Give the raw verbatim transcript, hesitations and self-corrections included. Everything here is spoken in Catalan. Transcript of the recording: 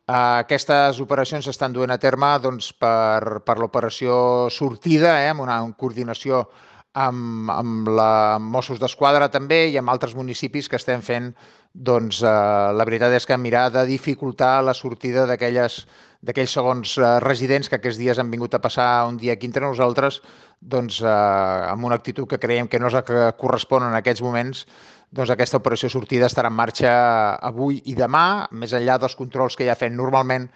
Aquestes operacions s'estan duent a terme doncs, per, per l'operació sortida, eh, amb una coordinació amb, amb la Mossos d'Esquadra també i amb altres municipis que estem fent, doncs eh, la veritat és que mirar de dificultar la sortida d'aquelles d'aquells segons eh, residents que aquests dies han vingut a passar un dia aquí entre nosaltres, doncs eh, amb una actitud que creiem que no és la que correspon en aquests moments. Doncs aquesta operació sortida estarà en marxa avui i demà, més enllà dels controls que ja fem normalment